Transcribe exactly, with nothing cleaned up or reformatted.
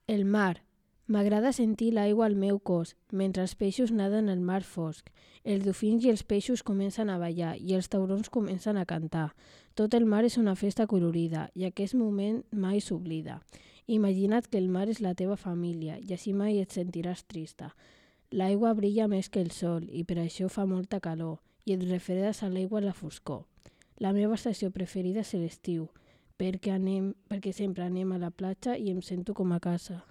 El mar. M'agrada sentir l'aigua al meu cos, mentre els peixos naden al mar fosc. Els dofins i els peixos comencen a ballar i els taurons comencen a cantar. Tot el mar és una festa colorida i aquest moment mai s'oblida. Imagina't que el mar és la teva família i així mai et sentiràs trista. L'aigua brilla més que el sol i per això fa molta calor i et refredes a l'aigua a la foscor. La meva estació preferida és l'estiu, perquè, anem, perquè sempre anem a la platja i em sento com a casa.